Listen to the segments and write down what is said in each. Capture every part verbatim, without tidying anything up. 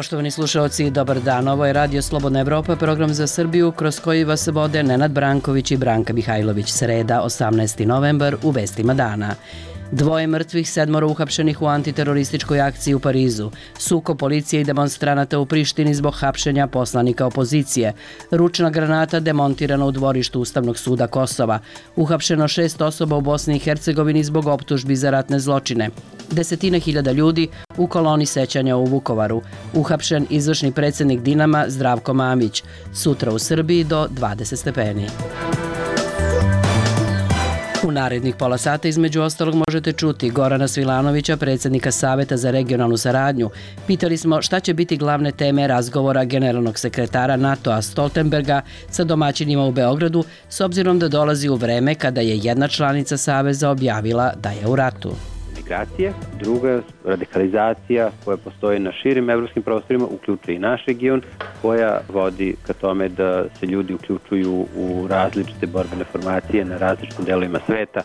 Poštovani slušalci, dobar dan. Ovo je Radio Slobodna Evropa, program za Srbiju kroz koji vas vode Nenad Branković i Branka Mihajlović. Sreda, osamnaesti novembar, u vestima dana. Dvoje mrtvih, sedmoro uhapšenih u antiterorističkoj akciji u Parizu. Sukob policije i demonstranata u Prištini zbog hapšenja poslanika opozicije. Ručna granata demontirana u dvorištu Ustavnog suda Kosova. Uhapšeno šest osoba u Bosni i Hercegovini zbog optužbi za ratne zločine. Desetine hiljada ljudi u koloni sećanja u Vukovaru. Uhapšen izvršni predsjednik Dinama Zdravko Mamić. Sutra u Srbiji do dvadeset stepeni. U narednih pola sata između ostalog možete čuti Gorana Svilanovića, predsjednika Saveta za regionalnu saradnju. Pitali smo šta će biti glavne teme razgovora generalnog sekretara NATO-a Stoltenberga sa domaćinima u Beogradu, s obzirom da dolazi u vreme kada je jedna članica Saveza objavila da je u ratu. Migracije, druga radikalizacija koja postoji na širim evropskim prostorima, uključuje i naš region, koja vodi ka tome da se ljudi uključuju u različite borbene formacije na različitim delovima sveta.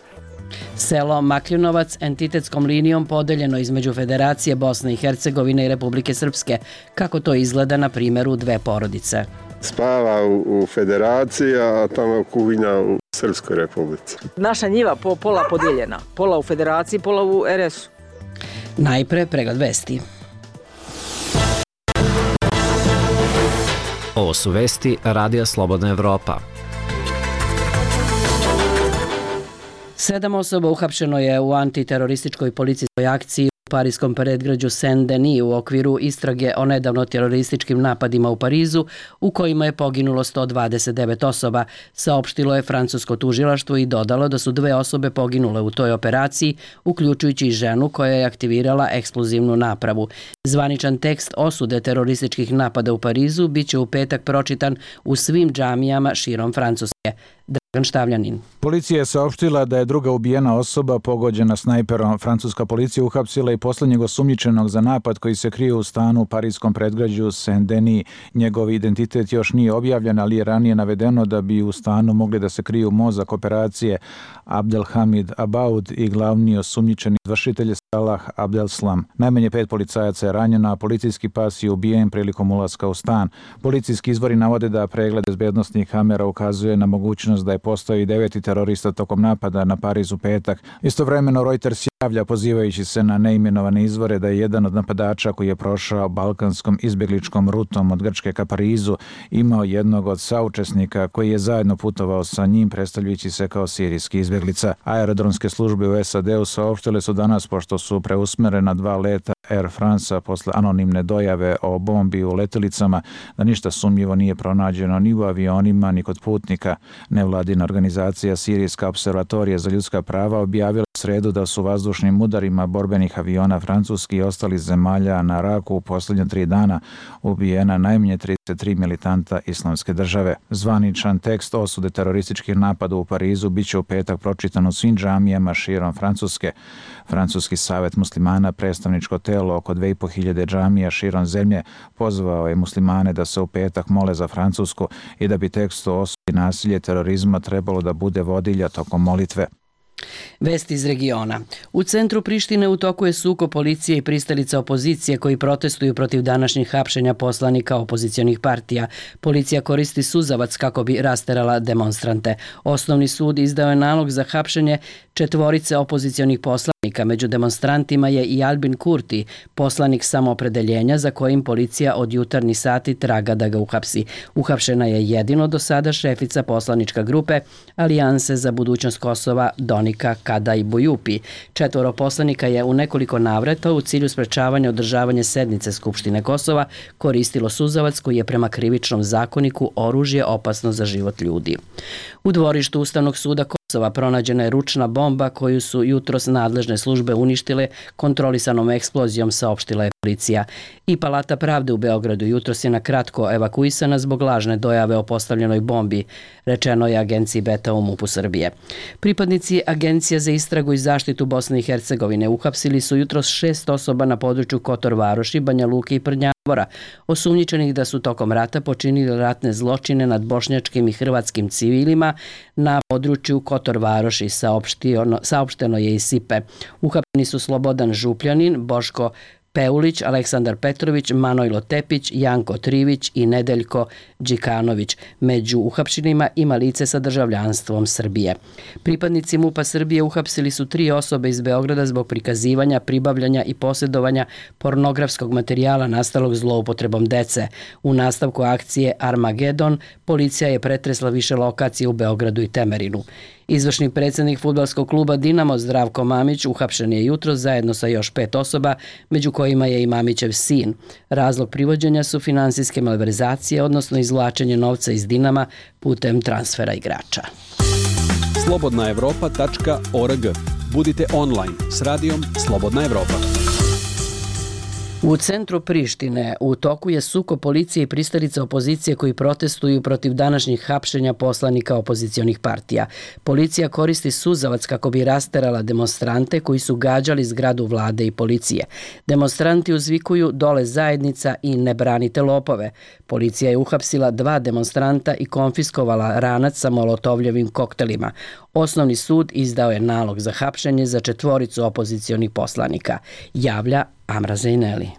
Selo Makljinovac entitetskom linijom podeljeno između Federacije Bosne i Hercegovine i Republike Srpske. Kako to izgleda na primjeru dve porodice? Spava u, u Federaciji, a tamo kuhinja u Srpskoj republici. Naša njiva po, pola podijeljena. Pola u Federaciji, pola u er es u. Najpre pregled vesti. Ovo su vesti Radija Slobodna Evropa. Sedam osoba uhapšeno je u antiterorističkoj policijskoj akciji u parijskom predgrađu Saint-Denis u okviru istrage o nedavno terorističkim napadima u Parizu, u kojima je poginulo sto dvadeset devet osoba, saopštilo je francusko tužilaštvo i dodalo da su dve osobe poginule u toj operaciji, uključujući i ženu koja je aktivirala eksplozivnu napravu. Zvaničan tekst osude terorističkih napada u Parizu biće u petak pročitan u svim džamijama širom Francuske. Dragan Štavljanin. Policija je saopštila da je druga ubijena osoba pogođena snajperom. Francuska policija uhapsila i posljednjeg osumnjičenog za napad koji se krije u stanu u parijskom predgrađu Saint-Denis. Njegov identitet još nije objavljen, ali je ranije navedeno da bi u stanu mogli da se kriju mozak operacije Abdelhamid Abaoud i glavni osumnjičeni izvršitelj Salah Abdeslam. Najmanje pet policajaca je ranjeno, a policijski pas je ubijen prilikom ulaska u stan. Policijski izvori navode da pregled bezbednosnih kamera ukazuje na mogućnost da je postoji deveti terorista tokom napada na Pariz u petak. Istovremeno Reuters javlja pozivajući se na neimenovane izvore da je jedan od napadača koji je prošao balkanskom izbjegličkom rutom od Grčke ka Parizu imao jednog od saučesnika koji je zajedno putovao sa njim predstavljajući se kao sirijski izbjeglica. Aerodromske službe u es a de u saopštile su danas pošto su preusmerena dva leta Air France posle anonimne dojave o bombi u letjelicama da ništa sumnjivo nije pronađeno ni u avionima ni kod putnika. Nevladina organizacija Sirijska observatorija za ljudska prava objavila sredu da su vazdušnim udarima borbenih aviona Francuski i ostalih zemalja na Raku u posljednje tri dana ubijena najmanje trideset tri militanta Islamske države. Zvaničan tekst osude terorističkih napada u Parizu biće u petak pročitan u svim džamijama širom Francuske. Francuski savet muslimana, predstavničko telo oko dve i po hiljade džamija širom zemlje, pozvao je muslimane da se u petak mole za Francusku i da bi tekst o osudi nasilje terorizma trebalo da bude vodilja tokom molitve. Vesti iz regiona. U centru Prištine u toku je sukob policije i pristalica opozicije koji protestuju protiv današnjih hapšenja poslanika opozicionih partija. Policija koristi suzavac kako bi rasterala demonstrante. Osnovni sud izdao je nalog za hapšenje četvorice opozicionih poslanika. Među demonstrantima je i Albin Kurti, poslanik samoopredeljenja za kojim policija od jutarnji sati traga da ga uhapsi. Uhapšena je jedino do sada šefica poslanička grupe Alijanse za budućnost Kosova Donika Kadaj Bojupi. Četvoro poslanika je u nekoliko navrata u cilju sprečavanja održavanja sednice Skupštine Kosova koristilo suzavac koji je prema krivičnom zakoniku oružje opasno za život ljudi. U dvorištu Ustavnog suda Kosova pronađena je ručna bomba koju su jutros nadležne službe uništile kontrolisanom eksplozijom, saopštila je policija. I Palata pravde u Beogradu jutros je na kratko evakuisana zbog lažne dojave o postavljenoj bombi, rečeno je agenciji Beta u MUP-u Srbije. Pripadnici Agencija za istragu i zaštitu Bosne i Hercegovine uhapsili su jutros šest osoba na području Kotor Varoši, Banja Luke i Prnjavora, osumnjičenih da su tokom rata počinili ratne zločine nad bošnjačkim i hrvatskim civilima na području Kotor Varoši, saopšteno je iz Sipe. Uhapšeni su Slobodan Župljanin, Boško Peulić, Aleksandar Petrović, Manojlo Tepić, Janko Trivić i Nedeljko Đikanović. Među uhapšenima ima lice sa državljanstvom Srbije. Pripadnici MUP-a Srbije uhapsili su tri osobe iz Beograda zbog prikazivanja, pribavljanja i posjedovanja pornografskog materijala nastalog zloupotrebom dece. U nastavku akcije Armagedon policija je pretresla više lokacije u Beogradu i Temerinu. Izvršni predsjednik fudbalskog kluba Dinamo Zdravko Mamić uhapšen je jutros zajedno sa još pet osoba, među kojima je i Mamićev sin. Razlog privođenja su finansijske malverzacije, odnosno izvlačenje novca iz Dinama putem transfera igrača. slobodna evropa tačka org. Budite online s radijom Slobodna Evropa. U centru Prištine u toku je sukob policije i pristalica opozicije koji protestuju protiv današnjih hapšenja poslanika opozicionih partija. Policija koristi suzavac kako bi rasterala demonstrante koji su gađali zgradu vlade i policije. Demonstranti uzvikuju dole zajednica i ne branite lopove. Policija je uhapsila dva demonstranta i konfiskovala ranac sa molotovljevim koktelima. Osnovni sud izdao je nalog za hapšenje za četvoricu opozicionih poslanika, javlja Amra Zejneli.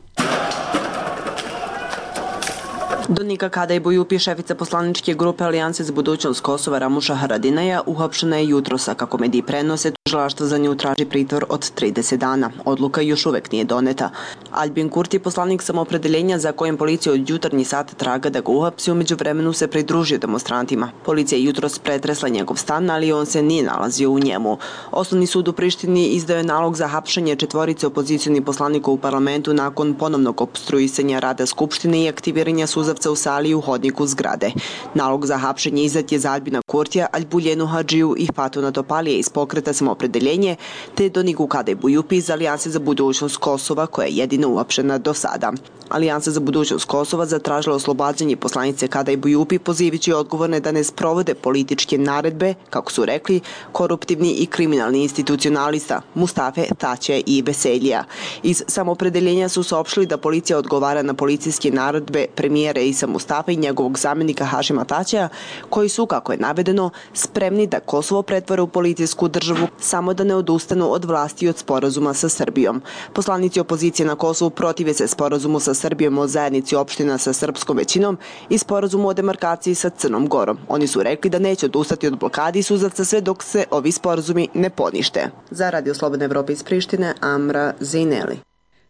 Donika Kadaj Bujupi, šefica poslaničke grupe Alijanse za budućnost Kosova Ramuša Haradinaja, uhapšena je jutrosa. Kako mediji prenose, tužilaštvo za nju traži pritvor od trideset dana. Odluka još uvek nije doneta. Albin Kurti, poslanik samoopredeljenja za kojem policija od jutarnji sat traga da ga uhapsi, umeđu vremenu se pridružio demonstrantima. Policija je jutros pretresla njegov stan, ali on se nije nalazio u njemu. Osnovni sud u Prištini izdao je nalog za hapšenje četvorice opozicionih poslanika u parlamentu nakon ponovnog opstruisanja rada Skupštine i aktiviranja suzavca u sali i u hodniku zgrade. Nalog za hapšenje izdat je za Albina Kurtija, Albuljenu Hadžiju i Fatuna Topalije iz pokreta samoopredeljenje, te Doniku Kadaj Bujupi iz Alijanse za budućnost Kosova, koja je jedina uhapšena do sada. Alijansa za budućnost Kosova zatražila oslobađanje poslanice Kadaj Bujupi, pozivajući odgovorne da ne sprovode političke naredbe, kako su rekli, koruptivni i kriminalni institucionalista Mustafe Taće i Veselija. Iz samoopredeljenja su saopštili da policija odgovara na policijske naredbe premijera Isa Mustafa i njegovog zamjenika Hašima Taćeja, koji su, kako je navedeno, spremni da Kosovo pretvore u policijsku državu samo da ne odustanu od vlasti i od sporazuma sa Srbijom. Poslanici opozicije na Kosovu protive se sporazumu sa Srbijom o zajednici opština sa srpskom većinom i sporazumu o demarkaciji sa Crnom Gorom. Oni su rekli da neće odustati od blokadi i suzavca sve dok se ovi sporazumi ne ponište. Za Radio Slobodne Evrope iz Prištine, Amra Zejneli.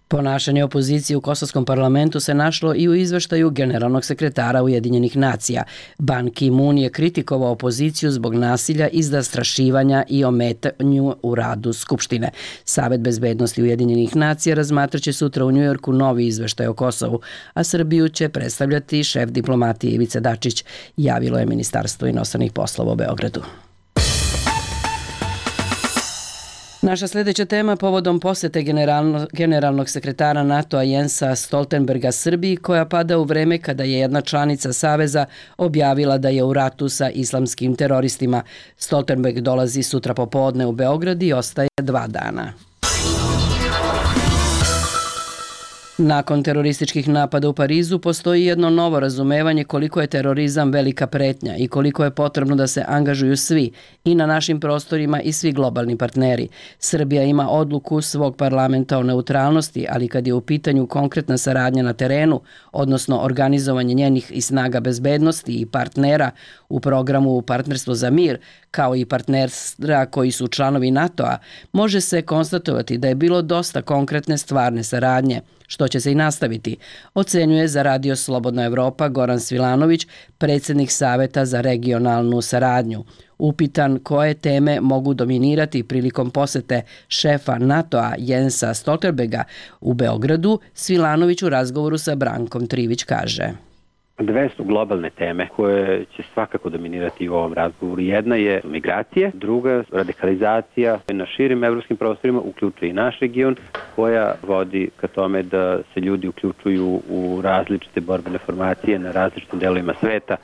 Ponašanje opozicije u kosovskom parlamentu se našlo i u izveštaju generalnog sekretara Ujedinjenih nacija. Ban Ki-moon je kritikovao opoziciju zbog nasilja i zastrašivanja i ometanju u radu Skupštine. Savet bezbednosti Ujedinjenih nacija razmatraće sutra u Njujorku novi izveštaj o Kosovu, a Srbiju će predstavljati šef diplomatije Ivica Dačić, javilo je Ministarstvo inostranih poslova u Beogradu. Naša sljedeća tema povodom posete generalno, generalnog sekretara NATO-a Jensa Stoltenberga Srbiji, koja pada u vreme kada je jedna članica Saveza objavila da je u ratu sa islamskim teroristima. Stoltenberg dolazi sutra popodne u Beograd i ostaje dva dana. Nakon terorističkih napada u Parizu postoji jedno novo razumevanje koliko je terorizam velika pretnja i koliko je potrebno da se angažuju svi i na našim prostorima i svi globalni partneri. Srbija ima odluku svog parlamenta o neutralnosti, ali kad je u pitanju konkretna saradnja na terenu, odnosno organizovanje njenih i snaga bezbednosti i partnera u programu Partnerstvo za mir, kao i partnera koji su članovi NATO-a, može se konstatovati da je bilo dosta konkretne stvarne saradnje, što će se i nastaviti, ocenjuje za Radio Slobodna Evropa Goran Svilanović, predsjednik Saveta za regionalnu saradnju. Upitan koje teme mogu dominirati prilikom posete šefa NATO-a Jensa Stoltenberga u Beogradu, Svilanović u razgovoru sa Brankom Trivić kaže: Dve su globalne teme koje će svakako dominirati u ovom razgovoru. Jedna je migracije, druga radikalizacija na širim evropskim prostorima, uključuje i naš region, koja vodi ka tome da se ljudi uključuju u različite borbene formacije na različitim delovima sveta.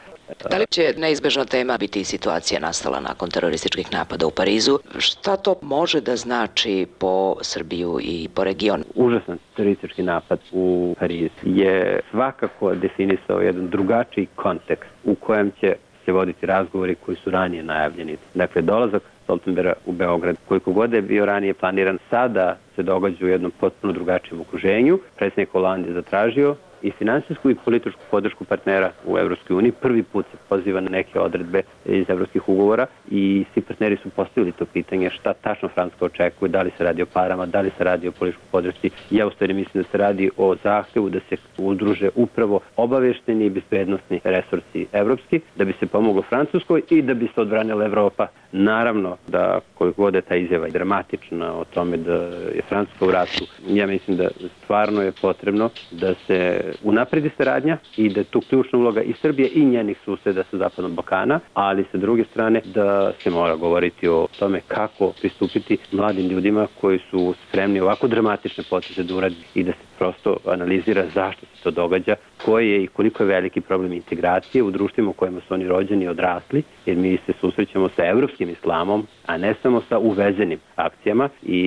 Da li će neizbežna tema biti situacija nastala nakon terorističkih napada u Parizu? Šta to može da znači po Srbiju i po regionu? Užasan teroristički napad u Pariz je svakako definisao jedan drugačiji kontekst u kojem će se voditi razgovori koji su ranije najavljeni. Dakle, dolazak Stoltenberga u Beograd. Koliko god je bio ranije planiran, sada se događa u jednom potpuno drugačijem okruženju. Predsjednik Hollande je zatražio i finansijsku i političku podršku partnera u Evropskoj uniji. Prvi put se poziva na neke odredbe iz evropskih ugovora i svi partneri su postavili to pitanje šta tačno Francuska očekuje, da li se radi o parama, da li se radi o političkoj podršci. Ja u stvari mislim da se radi o zahtevu da se udruže upravo obavešteni i bezbednosni resursi evropski, da bi se pomoglo Francuskoj i da bi se odbranila Evropa. Naravno da koliko god je ta izjava dramatična o tome da je Francuska u ratu, ja mislim da stvarno je potrebno da se unapredi saradnja i da je tu ključna uloga i Srbije i njenih suseda sa Zapadnog Balkana, ali sa druge strane da se mora govoriti o tome kako pristupiti mladim ljudima koji su spremni ovako dramatične poteze da uradi i da se prosto analizira zašto se to događa, koji je i koliko je veliki problem integracije u društvima u kojima su oni rođeni i odrasli, jer mi se susrećemo sa evropskim islamom, a ne samo sa uvezenim akcijama i,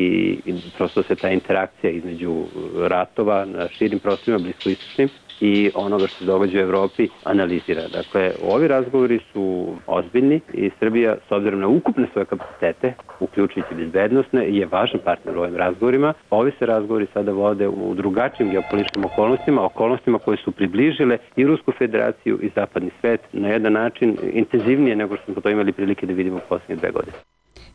i prosto se ta interakcija između ratova na širim prostorima, bliskoistočnim, i onoga što se događa u Evropi analizira. Dakle, ovi razgovori su ozbiljni i Srbija, s obzirom na ukupne svoje kapacitete, uključujući bezbednosne, je važan partner u ovim razgovorima. Ovi se razgovori sada vode u drugačijim geopolitičkim okolnostima, okolnostima koje su približile i Rusku federaciju i zapadni svet na jedan način intenzivnije nego što smo to imali prilike da vidimo u posljednje dve godine.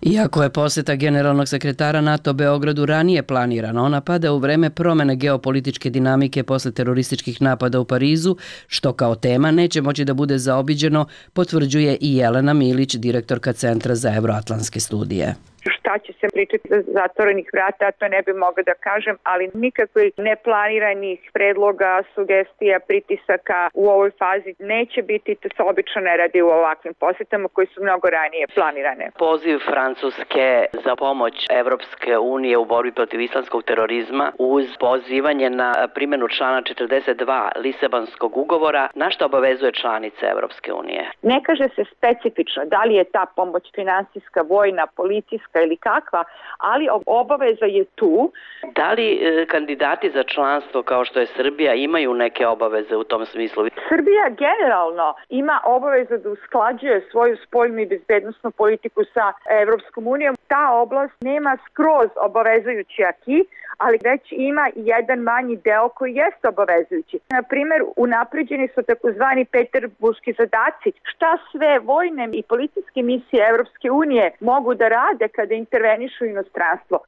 Iako je poseta generalnog sekretara NATO Beogradu ranije planirana, ona pada u vreme promene geopolitičke dinamike posle terorističkih napada u Parizu, što kao tema neće moći da bude zaobiđeno, potvrđuje i Jelena Milić, direktorka Centra za evroatlantske studije. Šta će se pričati za zatvorenih vrata, to ne bi mogla da kažem, ali nikakvih neplaniranih predloga, sugestija, pritisaka u ovoj fazi neće biti, to se obično ne radi u ovakvim posetama koji su mnogo ranije planirane. Poziv Francuske za pomoć Evropske unije u borbi protiv islamskog terorizma uz pozivanje na primjenu člana četrdeset dva Lisabonskog ugovora, na što obavezuje članice Evropske unije? Ne kaže se specifično da li je ta pomoć finansijska, vojna, policijska ili kakva, ali obaveza je tu. Da li e, kandidati za članstvo kao što je Srbija imaju neke obaveze u tom smislu? Srbija generalno ima obavezu da usklađuje svoju spoljnu i bezbednosnu politiku sa Evropskom unijom. Ta oblast nema skroz obavezujući aki, ali već ima jedan manji deo koji jeste obavezujući. Na primjer, unapređeni su takozvani peterburški zadaci. Šta sve vojne i policijske misije Evropske unije mogu da rade kada intervenišu inostranstvo?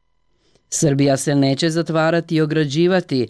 Srbija se neće zatvarati i ograđivati.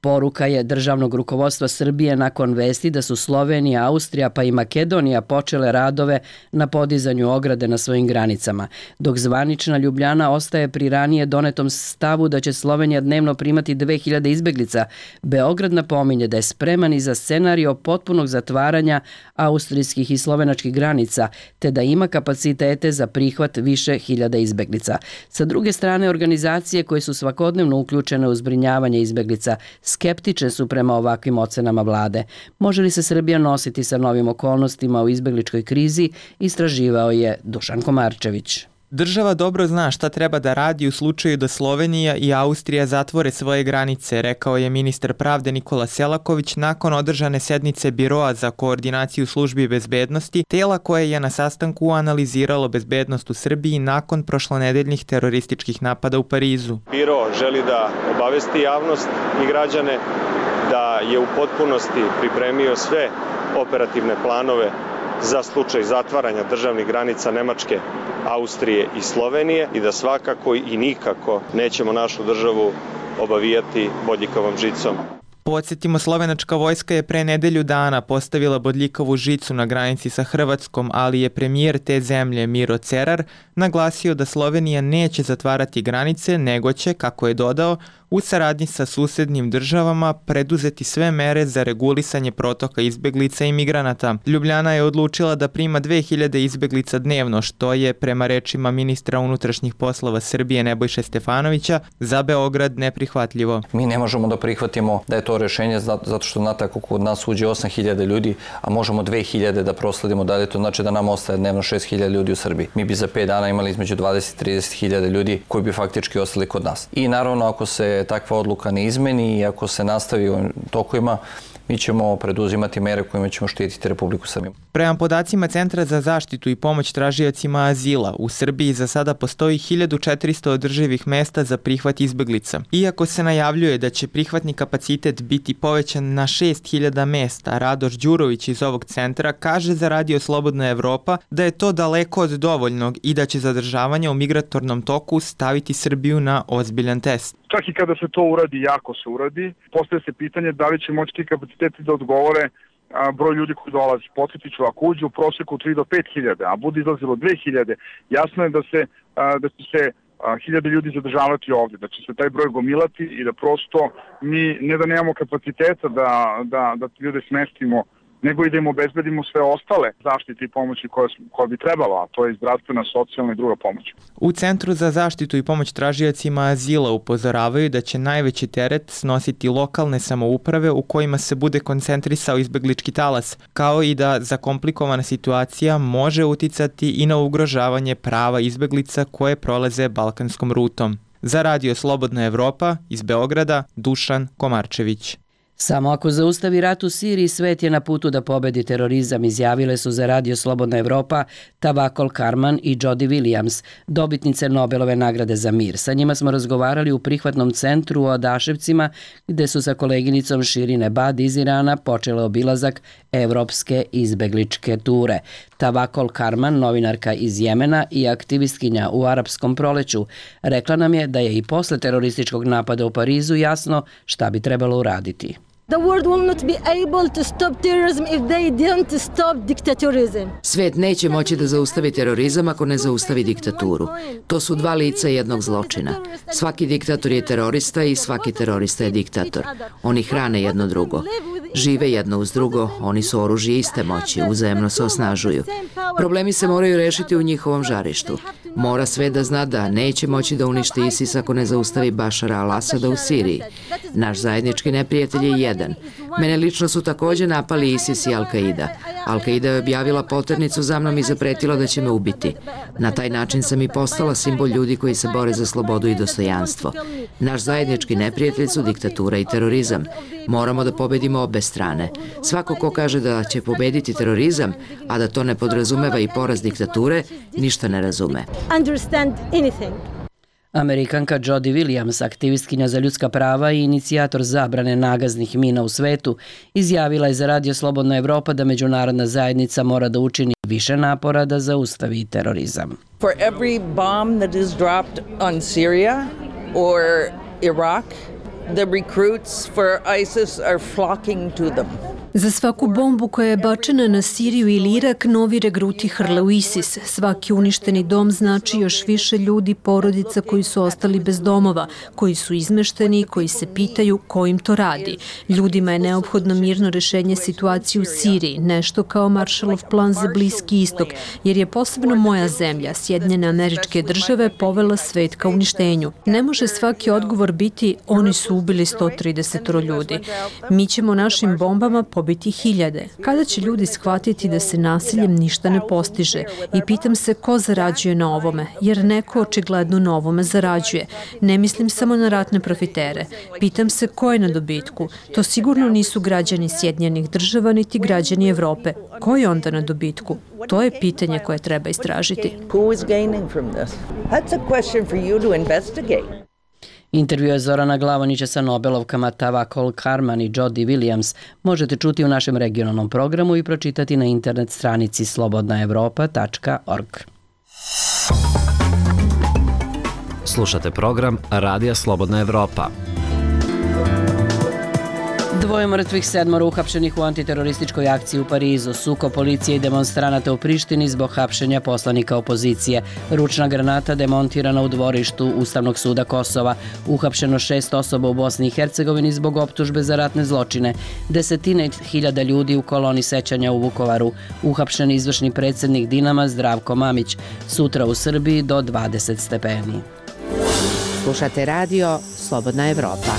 Poruka je državnog rukovodstva Srbije nakon vesti da su Slovenija, Austrija pa i Makedonija počele radove na podizanju ograde na svojim granicama, dok zvanična Ljubljana ostaje pri ranije donetom stavu da će Slovenija dnevno primati dve hiljade izbeglica. Beograd napominje da je spreman i za scenario potpunog zatvaranja austrijskih i slovenačkih granica, te da ima kapacitete za prihvat više hiljada izbeglica. Sa druge strane, organizacije koje su svakodnevno uključene u zbrinjavanje izbeglica skeptične su prema ovakvim ocenama vlade. Može li se Srbija nositi sa novim okolnostima u izbegličkoj krizi, istraživao je Dušan Komarčević. Država dobro zna šta treba da radi u slučaju da Slovenija i Austrija zatvore svoje granice, rekao je ministar pravde Nikola Selaković nakon održane sednice Biroa za koordinaciju službi bezbednosti, tela koje je na sastanku analiziralo bezbednost u Srbiji nakon prošlonedeljnih terorističkih napada u Parizu. Biro želi da obavesti javnost i građane da je u potpunosti pripremio sve operativne planove za slučaj zatvaranja državnih granica Nemačke, Austrije i Slovenije i da svakako i nikako nećemo našu državu obavijati bodljikavom žicom. Podsjetimo, slovenačka vojska je pre nedelju dana postavila bodljikavu žicu na granici sa Hrvatskom, ali je premijer te zemlje Miro Cerar naglasio da Slovenija neće zatvarati granice, nego će, kako je dodao, u saradnji sa susednim državama preduzeti sve mere za regulisanje protoka izbeglica i migranata. Ljubljana je odlučila da prima dve hiljade izbeglica dnevno, što je, prema rečima ministra unutrašnjih poslova Srbije Nebojše Stefanovića, za Beograd neprihvatljivo. Mi ne možemo da prihvatimo da je to rešenje zato što znate ako kod nas uđe osam hiljada ljudi, a možemo dve hiljade da prosledimo dalje, to znači da nam ostaje dnevno šest hiljada ljudi u Srbiji. Mi bi za pet dana imali između dvadeset do trideset hiljada ljudi koji bi faktički ostali kod nas. I naravno ako se takva odluka ne izmeni i ako se nastavi u tokovima, mi ćemo preduzimati mere kojima ćemo štititi Republiku Srbiju. Prema podacima Centra za zaštitu i pomoć tražiocima azila, u Srbiji za sada postoji hiljadu četiristo održivih mesta za prihvat izbeglica. Iako se najavljuje da će prihvatni kapacitet biti povećan na šest hiljada mesta, Radoš Đurović iz ovog centra kaže za Radio Slobodna Evropa da je to daleko od dovoljnog i da će zadržavanje u migratornom toku staviti Srbiju na ozbiljan test. Čak i kada se to uradi, jako se uradi, postaje se pitanje da li će moći ti kapaciteti da odgovore a, broj ljudi koji dolazi. Podsjetit ću, ako uđe u prosjeku tri do pet hiljada, a bude izlazilo dve hiljade, jasno je da se a, da će se a, hiljade ljudi zadržavati ovdje, da će se taj broj gomilati i da prosto mi ne da nemamo kapaciteta da, da, da ljude smestimo, nego i da im obezbedimo sve ostale zaštite i pomoći koje, koje bi trebalo, a to je zdravstvena, socijalna i druga pomoć. U Centru za zaštitu i pomoć tražiocima azila upozoravaju da će najveći teret snositi lokalne samouprave u kojima se bude koncentrisao izbeglički talas, kao i da zakomplikovana situacija može uticati i na ugrožavanje prava izbeglica koje prolaze balkanskom rutom. Za Radio Slobodna Evropa iz Beograda, Dušan Komarčević. Samo ako zaustavi rat u Siriji, svet je na putu da pobedi terorizam, izjavile su za Radio Slobodna Evropa Tawakkol Karman i Jody Williams, dobitnice Nobelove nagrade za mir. Sa njima smo razgovarali u prihvatnom centru u Odaševcima, gde su sa koleginicom Shirin Ebadi iz Irana počele obilazak evropske izbegličke ture. Tawakkol Karman, novinarka iz Jemena i aktivistkinja u arapskom proleću, rekla nam je da je i posle terorističkog napada u Parizu jasno šta bi trebalo uraditi. The world will not be able to stop terrorism if they don't stop dictatorism. Svet neće moći da zaustavi terorizam ako ne zaustavi diktaturu. To su dva lica jednog zločina. Svaki diktator je terorista i svaki terorista je diktator. Oni hrane jedno drugo. Žive jedno uz drugo, oni su oružje iste moći, uzajemno se osnažuju. Problemi se moraju rešiti u njihovom žarištu. Mora sve da zna da neće moći da uništi ISIS ako ne zaustavi Bašara al-Asada u Siriji. Naš zajednički neprijatelj je jedan. Mene lično su također napali ISIS i Al-Qaida. Al-Qaida je objavila poternicu za mnom i zapretila da će me ubiti. Na taj način sam i postala simbol ljudi koji se bore za slobodu i dostojanstvo. Naš zajednički neprijatelj su diktatura i terorizam. Moramo da pobedimo obe strane. Svako ko kaže da će pobediti terorizam, a da to ne podrazumeva i poraz diktature, ništa ne razume. Amerikanka Jody Williams, aktivistkinja za ljudska prava i inicijator zabrane nagaznih mina u svetu, izjavila je za Radio Slobodna Evropa da međunarodna zajednica mora da učini više napora da zaustavi terorizam. For every bomb that is dropped on Syria or Iraq, the recruits for ISIS are flocking to them. Za svaku bombu koja je bačena na Siriju ili Irak, novi regruti hrle u ISIS. Svaki uništeni dom znači još više ljudi, porodica koji su ostali bez domova, koji su izmešteni i koji se pitaju ko im to radi. Ljudima je neophodno mirno rešenje situacije u Siriji, nešto kao Marshallov plan za Bliski istok, jer je posebno moja zemlja, Sjedinjene Američke Države, povela svet ka uništenju. Ne može svaki odgovor biti oni su ubili sto trideset ljudi. Mi ćemo našim bombama pobiti hiljade. Kada će ljudi shvatiti da se nasiljem ništa ne postiže? I pitam se ko zarađuje na ovome, jer neko očigledno na ovome zarađuje. Ne mislim samo na ratne profitere. Pitam se ko je na dobitku. To sigurno nisu građani Sjedinjenih Država niti građani Evrope. Ko je onda na dobitku? To je pitanje koje treba istražiti. Who is gaining from this? That's a question for you to investigate. Intervju je Zorana Glavonića sa Nobelovkama Tawakkol Karman i Jody Williams možete čuti u našem regionalnom programu i pročitati na internet stranici slobodna evropa tačka org. Slušate program Radija Slobodna Evropa. Dvoje mrtvih, sedmoro uhapšenih u antiterorističkoj akciji u Parizu, sukob policije i demonstranata u Prištini zbog hapšenja poslanika opozicije, ručna granata demontirana u dvorištu Ustavnog suda Kosova, uhapšeno šest osoba u Bosni i Hercegovini zbog optužbe za ratne zločine, desetine hiljada ljudi u koloni sećanja u Vukovaru, uhapšen izvršni predsjednik Dinama Zdravko Mamić, sutra u Srbiji do dvadeset stepeni. Slušate radio Slobodna Evropa.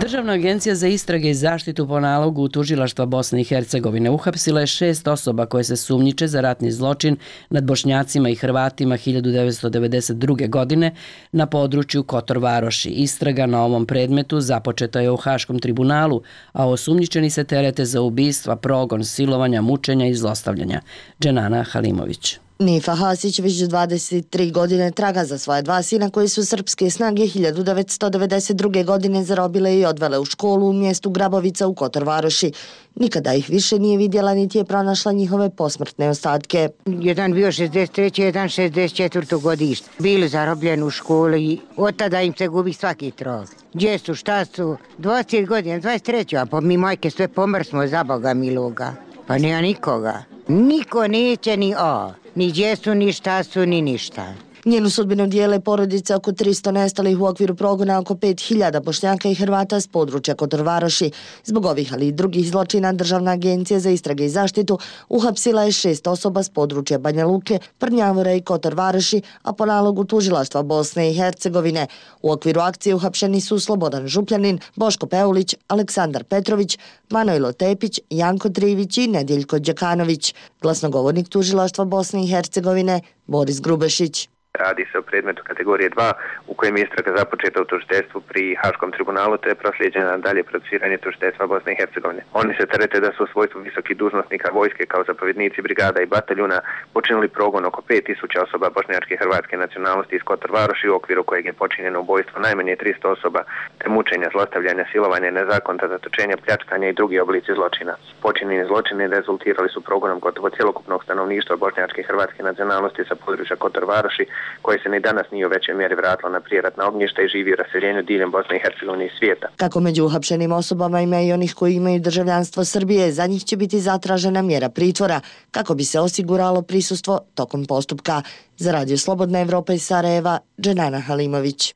Državna agencija za istrage i zaštitu po nalogu tužilaštva Bosne i Hercegovine uhapsila je šest osoba koje se sumnjiče za ratni zločin nad Bošnjacima i Hrvatima hiljadu devetsto devedeset druge. godine na području Kotor Varoši. Istraga na ovom predmetu započeta je u Haškom tribunalu, a osumnjičeni se terete za ubistva, progon, silovanja, mučenja i zlostavljanja. Dženana Halimović. Nifa Hasić već dvadeset tri godine traga za svoja dva sina koji su srpske snage hiljadu devetsto devedeset druge. godine zarobile i odvele u školu u mjestu Grabovica u Kotor Varoši. Nikada ih više nije vidjela niti je pronašla njihove posmrtne ostatke. Jedan bio šezdeset treće. jedan šezdeset četvrte. godište. Bili zarobljeni u školi i od tada im se gubi svaki trag. Gdje su, šta su? dvadeset godina, dvadeset treće. A po mi majke sve pomrsmo za Boga miloga. Pa nema nikoga. Niko neće ni o. Ni gdje su, ni šta su, ni ništa. Njenu sudbinu dijele porodice oko tristo nestalih u okviru progona oko pet hiljada Bošnjaka i Hrvata s područja Kotor Varoši. Zbog ovih, ali i drugih zločina, Državna agencija za istrage i zaštitu uhapsila je šest osoba s područja Banja Luke, Prnjavora i Kotor Varoši, a po nalogu tužilaštva Bosne i Hercegovine. U okviru akcije uhapšeni su Slobodan Župljanin, Boško Peulić, Aleksandar Petrović, Manojlo Tepić, Janko Trivić i Nedjeljko Đekanović. Glasnogovornik tužilaštva Bosne i Hercegovine Boris Grubešić. Radi se o predmetu kategorije dva u kojem je istraga započeta u tužiteljstvu pri Haškom tribunalu te je proslijeđena dalje procesiranje tužiteljstva Bosne i Hercegovine. Oni se terete da su u svojstvu visokih dužnosnika vojske kao zapovjednici brigada i bataljuna počinili progon oko pet tisuća osoba bošnjačke i hrvatske nacionalnosti iz Kotor Varoši u okviru kojeg je počinjeno ubojstvo najmanje tristo osoba te mučenja, zlostavljanja, silovanja, nezakonita zatočenja, pljačkanja i drugi oblici zločina. Počinjeni zločini rezultirali su progonom gotovo cjelokupnog stanovništva bošnjačke i hrvatske nacionalnosti sa područja Kotor Varoši, koje se ni danas nije u većoj mjeri vratilo na prijeratna ognjišta i živi u raseljenju diljem Bosne i Hercegovine i svijeta. Kako među uhapšenim osobama ima i onih koji imaju državljanstvo Srbije, za njih će biti zatražena mjera pritvora kako bi se osiguralo prisustvo tokom postupka. Za Radio Slobodna Evropa iz Sarajeva, Dženana Halimović.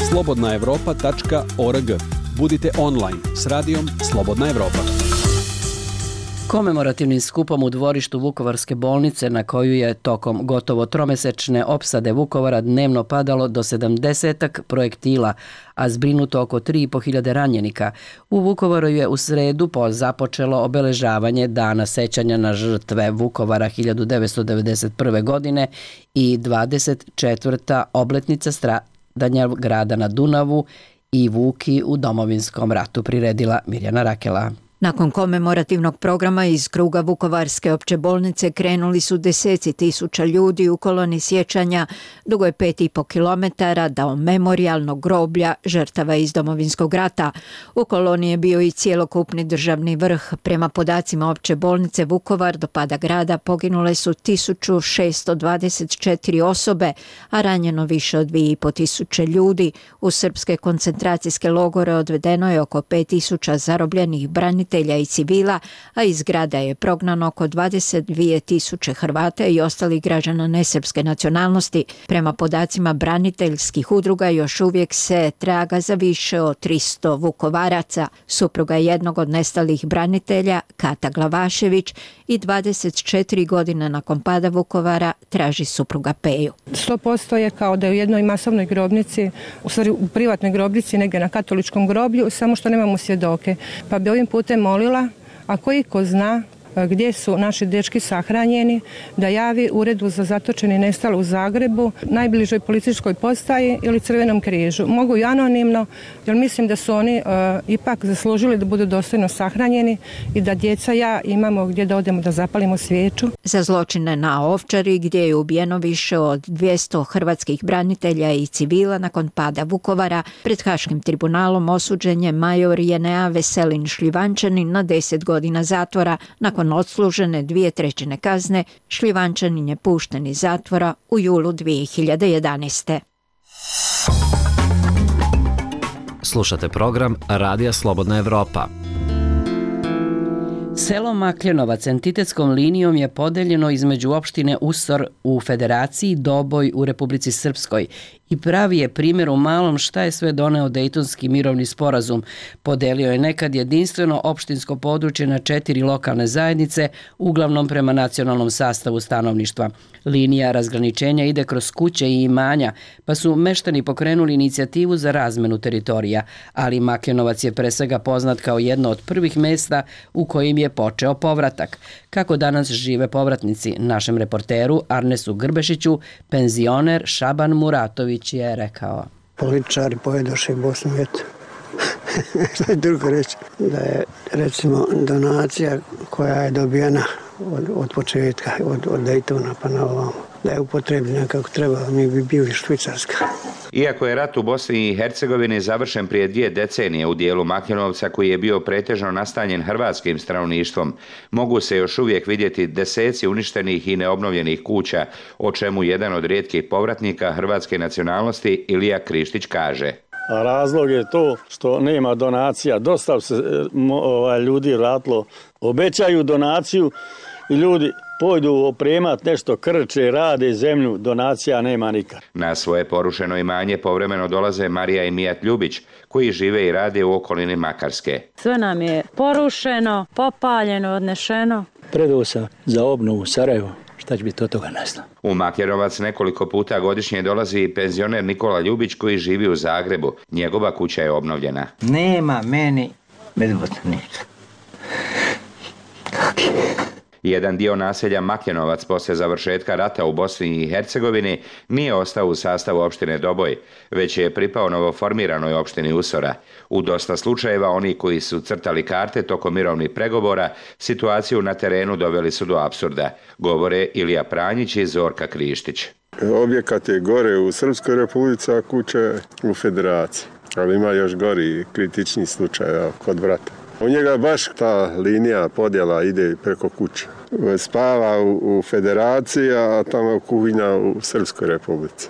slobodna evropa tačka org. Budite online s radijom Slobodna Evropa. Komemorativnim skupom u dvorištu Vukovarske bolnice, na koju je tokom gotovo tromesečne opsade Vukovara dnevno padalo do sedamdesetak projektila, a zbrinuto oko tri i po hiljade ranjenika, u Vukovaru je u sredu započelo obeležavanje Dana sećanja na žrtve Vukovara hiljadu devetsto devedeset prve. godine i dvadeset četvrta obletnica stradanja grada na Dunavu i Vuki u Domovinskom ratu, priredila Mirjana Rakela. Nakon komemorativnog programa iz kruga Vukovarske opće bolnice krenuli su deseci tisuća ljudi u koloni sjećanja dugo je pet i po kilometara do memorijalnog groblja žrtava iz Domovinskog rata. U koloni je bio i cijelokupni državni vrh. Prema podacima opće bolnice Vukovar do pada grada poginule su tisuću šesto dvadeset četiri osobe, a ranjeno više od dvije i po tisuće ljudi. U srpske koncentracijske logore odvedeno je oko pet tisuća zarobljenih branitelja i civila, a iz grada je prognano oko dvadeset dvije tisuće Hrvata i ostalih građana nesrpske nacionalnosti. Prema podacima braniteljskih udruga još uvijek se traga za više od tristo Vukovaraca. Supruga jednog od nestalih branitelja, Kata Glavašević, i dvadeset četiri godine nakon pada Vukovara traži supruga Peju. sto posto je kao da je u jednoj masovnoj grobnici, u stvari u privatnoj grobnici, negdje na katoličkom groblju, samo što nemamo svjedoke. Pa bi ovim putem molila, ako iko zna gdje su naši dečki sahranjeni, da javi Uredu za zatočene i nestale u Zagrebu, najbližoj policijskoj postaji ili Crvenom križu. Mogu i anonimno, jer mislim da su oni uh, ipak zaslužili da budu dostojno sahranjeni i da djeca ja imamo gdje da odemo da zapalimo svijeću. Za zločine na Ovčari, gdje je ubijeno više od dvjesto hrvatskih branitelja i civila nakon pada Vukovara, pred Haškim tribunalom osuđen je major Jenea Veselin Šljivančanin na deset godina zatvora. Nakon odslužene dvije trećine kazne, Šljivančanin je pušten iz zatvora u julu dvije hiljade jedanaeste. Slušate program Radija Slobodna Evropa. Selo Makljenovac entitetskom linijom je podeljeno između opštine Usor u Federaciji, Doboj u Republici Srpskoj i pravi je primjer u malom šta je sve doneo Dejtonski mirovni sporazum. Podelio je nekad jedinstveno opštinsko područje na četiri lokalne zajednice, uglavnom prema nacionalnom sastavu stanovništva. Linija razgraničenja ide kroz kuće i imanja, pa su meštani pokrenuli inicijativu za razmenu teritorija, ali Makljanovac je pre svega poznat kao jedno od prvih mesta u kojim je počeo povratak. Kako danas žive povratnici, našem reporteru Arnesu Grbešiću, penzioner Šaban Muratović je rekao. Političari pojedoše Bosnu, eto. Šta je drugo reći? Da je, recimo, donacija koja je dobijena od, od početka, od, od Dejtona pa na ovamo, da je upotrebljena kako treba, mi bi bili Švicarska. Iako je rat u Bosni i Hercegovini završen prije dvije decenije u dijelu Makljanovca koji je bio pretežno nastanjen hrvatskim stanovništvom, mogu se još uvijek vidjeti deseci uništenih i neobnovljenih kuća, o čemu jedan od rijetkih povratnika hrvatske nacionalnosti Ilija Krištić kaže. A razlog je to što nema donacija. Dosta se ovaj, ljudi vratilo, obećaju donaciju i ljudi pojdu opremat nešto, krče, rade zemlju, donacija nema nikad. Na svoje porušeno imanje povremeno dolaze Marija i Mijat Ljubić, koji žive i rade u okolini Makarske. Sve nam je porušeno, popaljeno, odnešeno. Predao sam za obnovu Sarajevo. Šta će biti od toga nastalo? U Makljanovac nekoliko puta godišnje dolazi i penzioner Nikola Ljubić koji živi u Zagrebu. Njegova kuća je obnovljena. Nema meni medvotnika. Jedan dio naselja Makljanovac poslije završetka rata u Bosni i Hercegovini nije ostao u sastavu opštine Doboj, već je pripao novoformiranoj opštini Usora. U dosta slučajeva oni koji su crtali karte tokom mirovnih pregovora situaciju na terenu doveli su do apsurda, govore Ilija Pranjić i Zorka Krištić. Objekat je gore u Srpskoj republici, a kuća je u Federaciji, ali ima još gori kritični slučaj kod vrata. U njega baš ta linija podjela ide preko kuće. Spava u, u Federaciji, a tamo kuhinja u Srpskoj republici.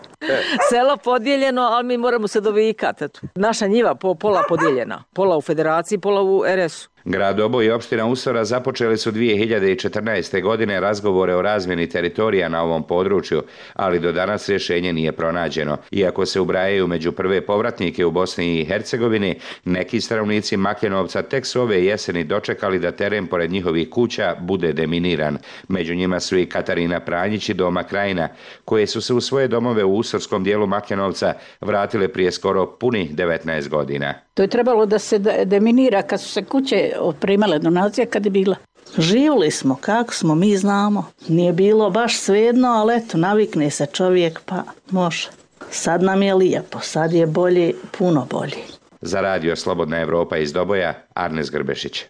Selo podijeljeno, ali mi moramo se dovikati. Naša njiva po, pola podijeljena. Pola u Federaciji, pola u er es u. Grad Doboj i opština Usora započeli su dvije hiljade četrnaeste. godine razgovore o razmjeni teritorija na ovom području, ali do danas rješenje nije pronađeno. Iako se ubrajaju među prve povratnike u Bosni i Hercegovini, neki stanovnici Makljanovca tek su ove jeseni dočekali da teren pored njihovih kuća bude deminiran. Među njima su i Katarina Pranjić i Doma Krajina, koje su se u svoje domove u usorskom dijelu Makljanovca vratile prije skoro punih devetnaest godina. To je trebalo da se deminira kad su se kuće primale donacije kad je bila. Živjeli smo, kako smo, mi znamo. Nije bilo baš svejedno, ali eto, navikne se čovjek pa može. Sad nam je lijepo, sad je bolje, puno bolje. Za radio Slobodna Evropa iz Doboja, Arnes Grbešić.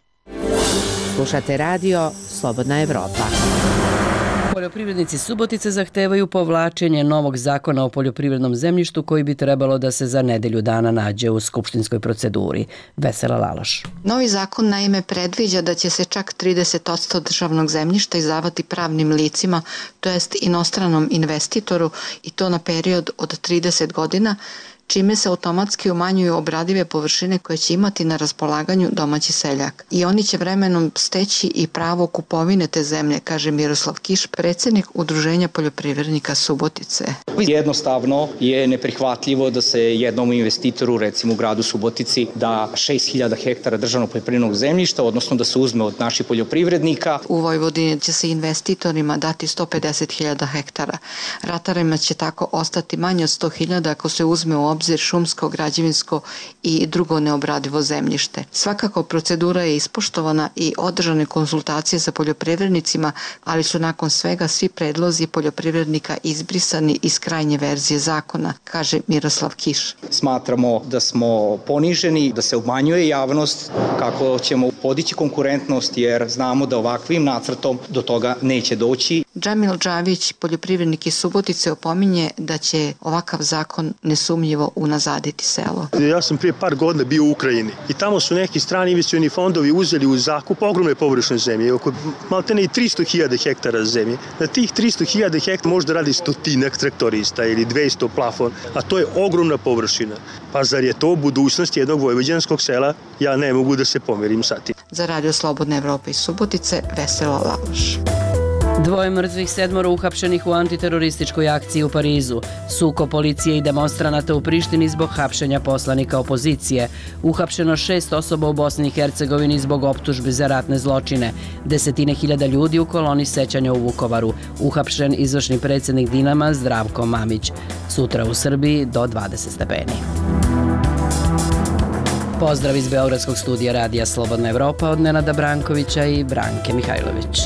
Slušate radio Slobodna Evropa. Poljoprivrednici Subotice zahtevaju povlačenje novog zakona o poljoprivrednom zemljištu koji bi trebalo da se za nedelju dana nađe u skupštinskoj proceduri. Vesela Laloš. Novi zakon naime predviđa da će se čak trideset posto državnog zemljišta izdavati pravnim licima, to jest inostranom investitoru, i to na period od trideset godina, čime se automatski umanjuju obradive površine koje će imati na raspolaganju domaći seljak. I oni će vremenom steći i pravo kupovine te zemlje, kaže Miroslav Kiš, predsjednik Udruženja poljoprivrednika Subotice. Jednostavno je neprihvatljivo da se jednom investitoru, recimo u gradu Subotici, da šest hiljada hektara državnog poljoprivrednog zemljišta, odnosno da se uzme od naših poljoprivrednika. U Vojvodini će se investitorima dati sto pedeset hiljada hektara. Ratarima će tako ostati manje od sto hiljada ako se uzme u obzir šumsko, građevinsko i drugo neobradivo zemljište. Svakako procedura je ispoštovana i održane konsultacije sa poljoprivrednicima, ali su nakon svega svi predlozi poljoprivrednika izbrisani iz krajnje verzije zakona, kaže Miroslav Kiš. Smatramo da smo poniženi, da se umanjuje javnost, kako ćemo podići konkurentnost, jer znamo da ovakvim nacrtom do toga neće doći. Džamil Džavić, poljoprivrednik iz Subotice, opominje da će ovakav zakon nesumnjivo unazaditi selo. Ja sam prije par godina bio u Ukrajini i tamo su neki strani investicioni fondovi uzeli u zakup ogromne površine zemlje, oko maltene i tristo hiljada hektara zemlje. Na tih tristo hiljada hektara možda radi stotinak traktorista ili dvesta plafon, a to je ogromna površina. Pa zar je to budućnost jednog vojvođanskog sela? Ja ne mogu da se pomerim sa tim. Za radio Slobodna Evropa iz Subotice, Vesela Laloš. Dvoje mrtvih, sedmoro uhapšenih u antiterorističkoj akciji u Parizu. Sukob policije i demonstranata u Prištini zbog hapšenja poslanika opozicije. Uhapšeno šest osoba u Bosni i Hercegovini zbog optužbi za ratne zločine. Desetine hiljada ljudi u koloni sećanja u Vukovaru. Uhapšen izvršni predsjednik Dinama Zdravko Mamić. Sutra u Srbiji do dvadeset stepeni. Pozdrav iz Beogradskog studija Radija Slobodna Evropa od Nenada Brankovića i Branke Mihajlović.